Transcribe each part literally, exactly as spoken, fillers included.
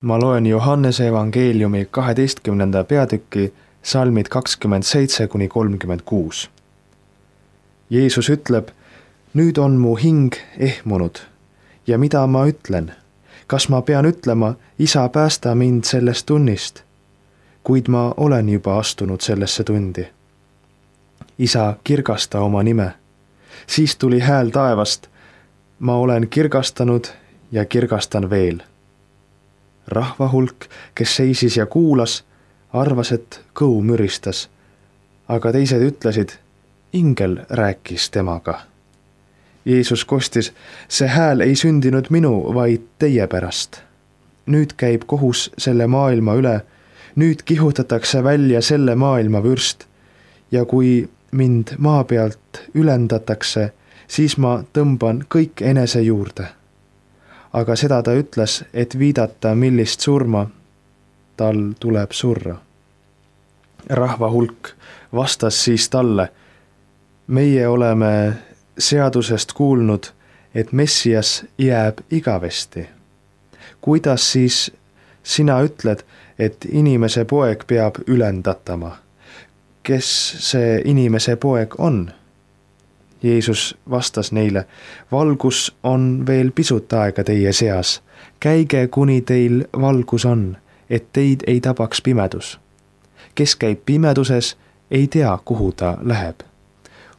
Ma loen Johannese evangeeliumi kaheteistkümnenda peatüki salmid kakskümmend seitse kuni kolmkümmend kuus. Jeesus ütleb, nüüd on mu hing ehmunud ja mida ma ütlen? Kas ma pean ütlema, isa, päästa mind sellest tunnist? Kuid ma olen juba astunud sellesse tundi. Isa, kirgasta oma nime. Siis tuli hääl taevast. Ma olen kirgastanud ja kirgastan veel. Rahva hulk, kes seisis ja kuulas, arvas, et kõu müristas, aga teised ütlesid, ingel rääkis temaga. Jeesus kostis, see hääl ei sündinud minu, vaid teie pärast. Nüüd käib kohus selle maailma üle, nüüd kihutatakse välja selle maailma vürst ja kui mind maa pealt ülendatakse, siis ma tõmban kõik enese juurde. Aga seda ta ütles, et viidata, millist surma tal tuleb surra. Rahva hulk vastas siis talle, meie oleme seadusest kuulnud, et Messias jääb igavesti. Kuidas siis sina ütled, et inimese poeg peab ülendatama? Kes see inimese poeg on? Jeesus vastas neile, valgus on veel pisut aega teie seas. Käige, kuni teil valgus on, et teid ei tabaks pimedus. Kes käib pimeduses, ei tea, kuhu ta läheb.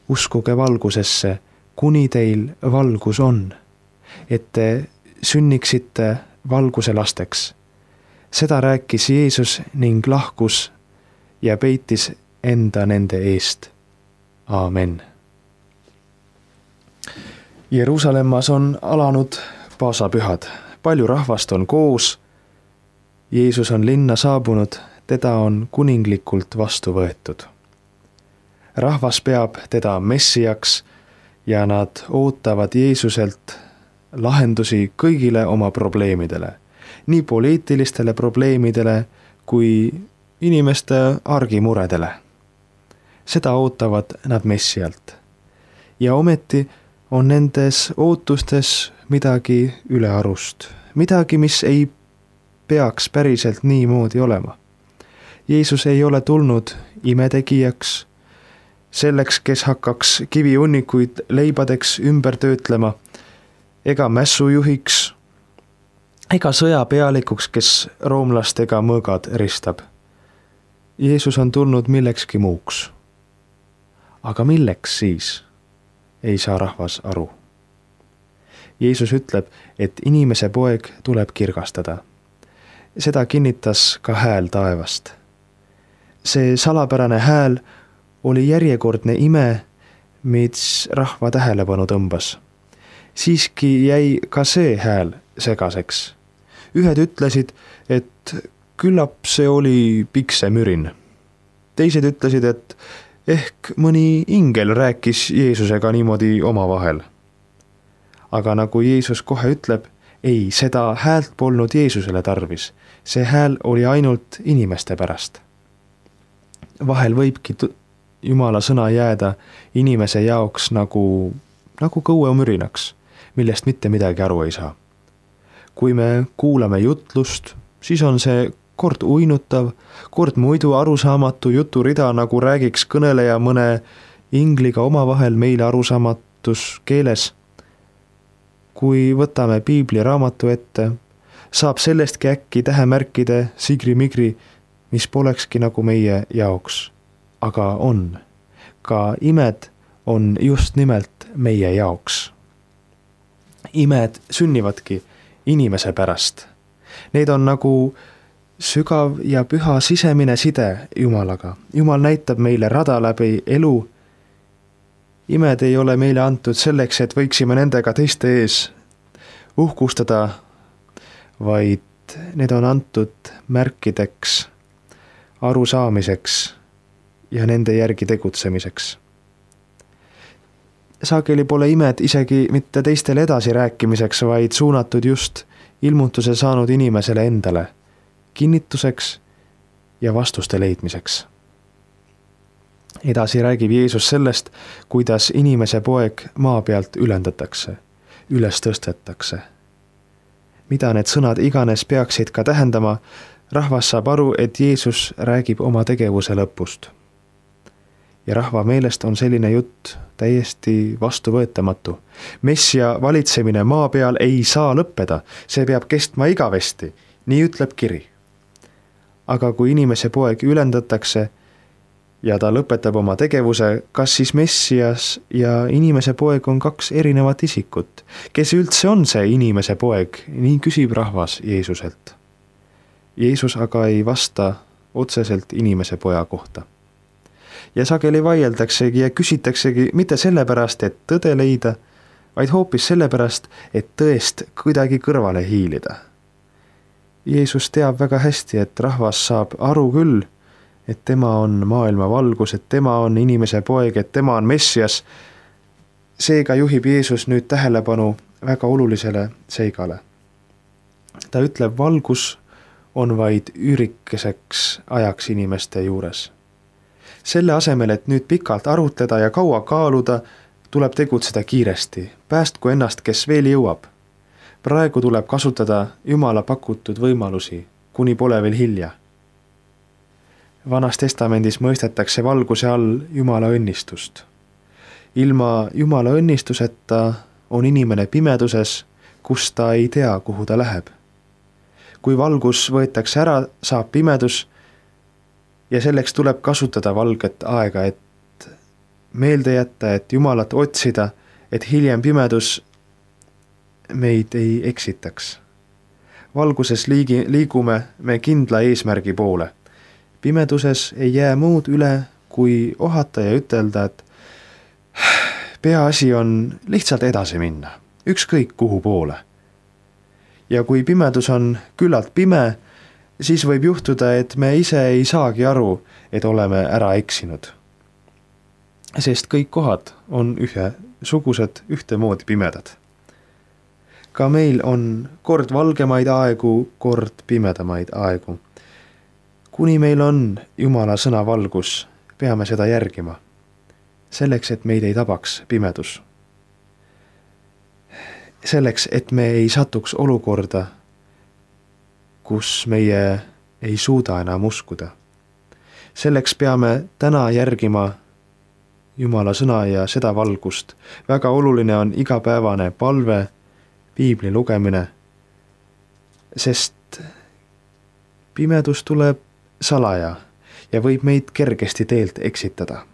Uskuge valgusesse, kuni teil valgus on, et te sünniksite valguse lasteks. Seda rääkis Jeesus ning lahkus ja peitis enda nende eest. Aamen. Jeruusalemmas on alanud paasapühad. Palju rahvast on koos. Jeesus on linna saabunud, teda on kuninglikult vastu võetud. Rahvas peab teda messiaks ja nad ootavad Jeesuselt lahendusi kõigile oma probleemidele, nii poliitilistele probleemidele kui inimeste argimuredele. Seda ootavad nad messialt. Ja ometi on nendes ootustes midagi ülearust, midagi, mis ei peaks päriselt niimoodi olema. Jeesus ei ole tulnud imetegijaks, selleks, kes hakkaks kiviunnikuid leibadeks ümber töötlema, ega mässujuhiks, ega sõjapealikuks, kes roomlastega mõõgad ristab. Jeesus on tulnud millekski muuks. Aga milleks siis? Ei saa rahvas aru. Jeesus ütleb, et inimese poeg tuleb kirgastada. Seda kinnitas ka hääl taevast. See salapärane hääl oli järjekordne ime, mis rahva tähelepanu tõmbas. Siiski jäi ka see hääl segaseks. Ühed ütlesid, et küllap see oli piksemürin. Teised ütlesid, et ehk mõni ingel rääkis Jeesusega niimoodi omavahel. Aga nagu Jeesus kohe ütleb, ei, seda häält polnud Jeesusele tarvis. See hääl oli ainult inimeste pärast. Vahel võibki Jumala sõna jääda inimese jaoks nagu, nagu kõuemürinaks, millest mitte midagi aru ei saa. Kui me kuulame jutlust, siis on see kord uinutav, kord muidu arusaamatu juturida, nagu räägiks kõneleja mõne ingliga omavahel meile arusaamatus keeles. Kui võtame piibli raamatu ette, saab sellestki äkki tähemärkide sigri-migri, mis polekski nagu meie jaoks. Aga on. Ka imed on just nimelt meie jaoks. Imed sünnivadki inimese pärast. Need on nagu sügav ja püha sisemine side Jumalaga. Jumal näitab meile rada läbi elu. Imed ei ole meile antud selleks, et võiksime nendega teiste ees uhkustada, vaid need on antud märkideks, arusaamiseks ja nende järgi tegutsemiseks. Sageli pole imed isegi mitte teistele edasi rääkimiseks, vaid suunatud just ilmutuse saanud inimesele endale, kinnituseks ja vastuste leidmiseks. Edasi räägib Jeesus sellest, kuidas inimese poeg maa pealt ülendatakse, üles tõstetakse. mida need sõnad iganes peaksid ka tähendama, rahvas saab aru, et Jeesus räägib oma tegevuse lõpust. Ja rahva meelest on selline jutt täiesti vastuvõetamatu. Messia valitsemine maa peal ei saa lõppeda, see peab kestma igavesti, nii ütleb kiri. Aga kui inimese poeg ülendatakse ja ta lõpetab oma tegevuse, kas siis Messias ja inimese poeg on kaks erinevat isikut? Kes üldse on see inimese poeg? Nii küsib rahvas Jeesuselt. Jeesus aga ei vasta otseselt inimese poja kohta. Ja sageli vaieldaksegi ja küsitaksegi mitte sellepärast, et tõde leida, vaid hoopis sellepärast, et tõest kuidagi kõrvale hiilida. Jeesus teab väga hästi, et rahvas saab aru küll, et tema on maailma valgus, et tema on inimese poeg, et tema on Messias. Seega juhib Jeesus nüüd tähelepanu väga olulisele seigale. Ta ütleb, valgus on vaid üürikeseks ajaks inimeste juures. Selle asemel, et nüüd pikalt arutleda ja kaua kaaluda, tuleb tegutseda kiiresti. Päästku ennast, kes veel jõuab. Praegu tuleb kasutada Jumala pakutud võimalusi, kuni pole veel hilja. Vanas testamendis mõistetakse valguse all Jumala õnnistust. Ilma Jumala õnnistuseta on inimene pimeduses, kus ta ei tea, kuhu ta läheb. Kui valgus võetakse ära, saab pimedus ja selleks tuleb kasutada valget aega, et meelde jätta, et Jumalat otsida, et hiljem pimedus meid ei eksitaks. Valguses liigi, liigume me kindla eesmärgi poole. Pimeduses ei jää muud üle, kui ohata ja ütelda, et peaasi on lihtsalt edasi minna, ükskõik kuhu poole. Ja kui pimedus on küllalt pime, siis võib juhtuda, et me ise ei saagi aru, et oleme ära eksinud. Sest kõik kohad on ühesugused, ühtemoodi pimedad. Ka meil on kord valgemaid aegu, kord pimedamaid aegu. Kuni meil on Jumala sõna valgus, peame seda järgima. Selleks, et meid ei tabaks pimedus. Selleks, et me ei satuks olukorda, kus meie ei suuda enam uskuda. Selleks peame täna järgima Jumala sõna ja seda valgust. Väga oluline on igapäevane palve, piibli lugemine, sest pimedus tuleb salaja ja võib meid kergesti teelt eksitada.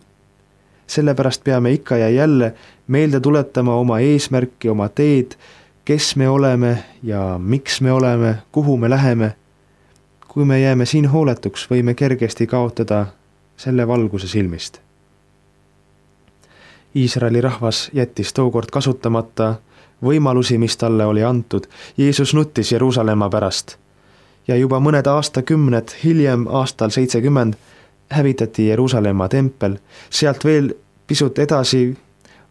Sellepärast peame ikka ja jälle meelde tuletama oma eesmärki, oma teed, kes me oleme ja miks me oleme, kuhu me läheme. Kui me jääme siin hooletuks, võime kergesti kaotada selle valguse silmist. Iisraeli rahvas jättis tookord kasutamata võimalusi, mis talle oli antud. Jeesus nuttis Jeruusalemma pärast ja juba mõned aastakümned hiljem, aastal seitsekümmend, hävitati Jeruusalemma tempel. Sealt veel pisut edasi,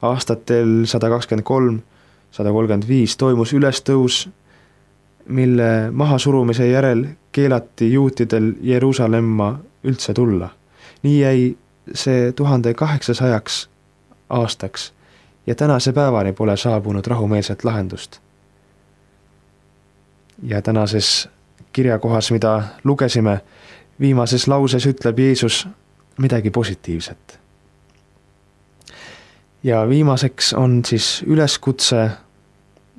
aastatel sada kakskümmend kolm, sada kolmkümmend viis toimus ülestõus, mille mahasurumise järel keelati juutidel Jeruusalemma üldse tulla. Nii jäi see tuhande kaheksasajaks aastaks ja tänase päevani pole saabunud rahumeelset lahendust. Ja tänases kirjakohas, mida lugesime, viimases lauses ütleb Jeesus midagi positiivset. Ja viimaseks on siis üleskutse,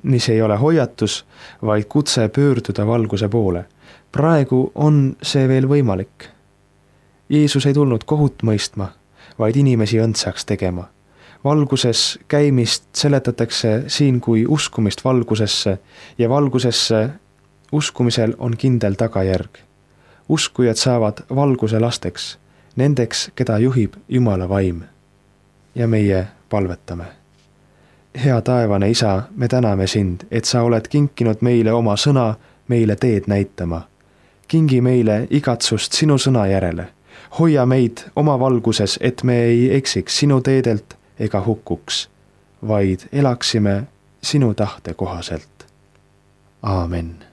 mis ei ole hoiatus, vaid kutse pöörduda valguse poole. Praegu on see veel võimalik. Jeesus ei tulnud kohut mõistma, vaid inimesi õndsaks tegema. Valguses käimist seletatakse siin kui uskumist valgusesse ja valgusesse uskumisel on kindel tagajärg. Uskujad saavad valguse lasteks, nendeks, keda juhib Jumala vaim. Ja meie palvetame. Hea taevane Isa, me täname sind, et sa oled kinkinud meile oma sõna, meile teed näitama. Kingi meile igatsust sinu sõna järele. Hoia meid oma valguses, et me ei eksiks sinu teedelt ega hukkuks, vaid elaksime sinu tahte kohaselt. Aamen.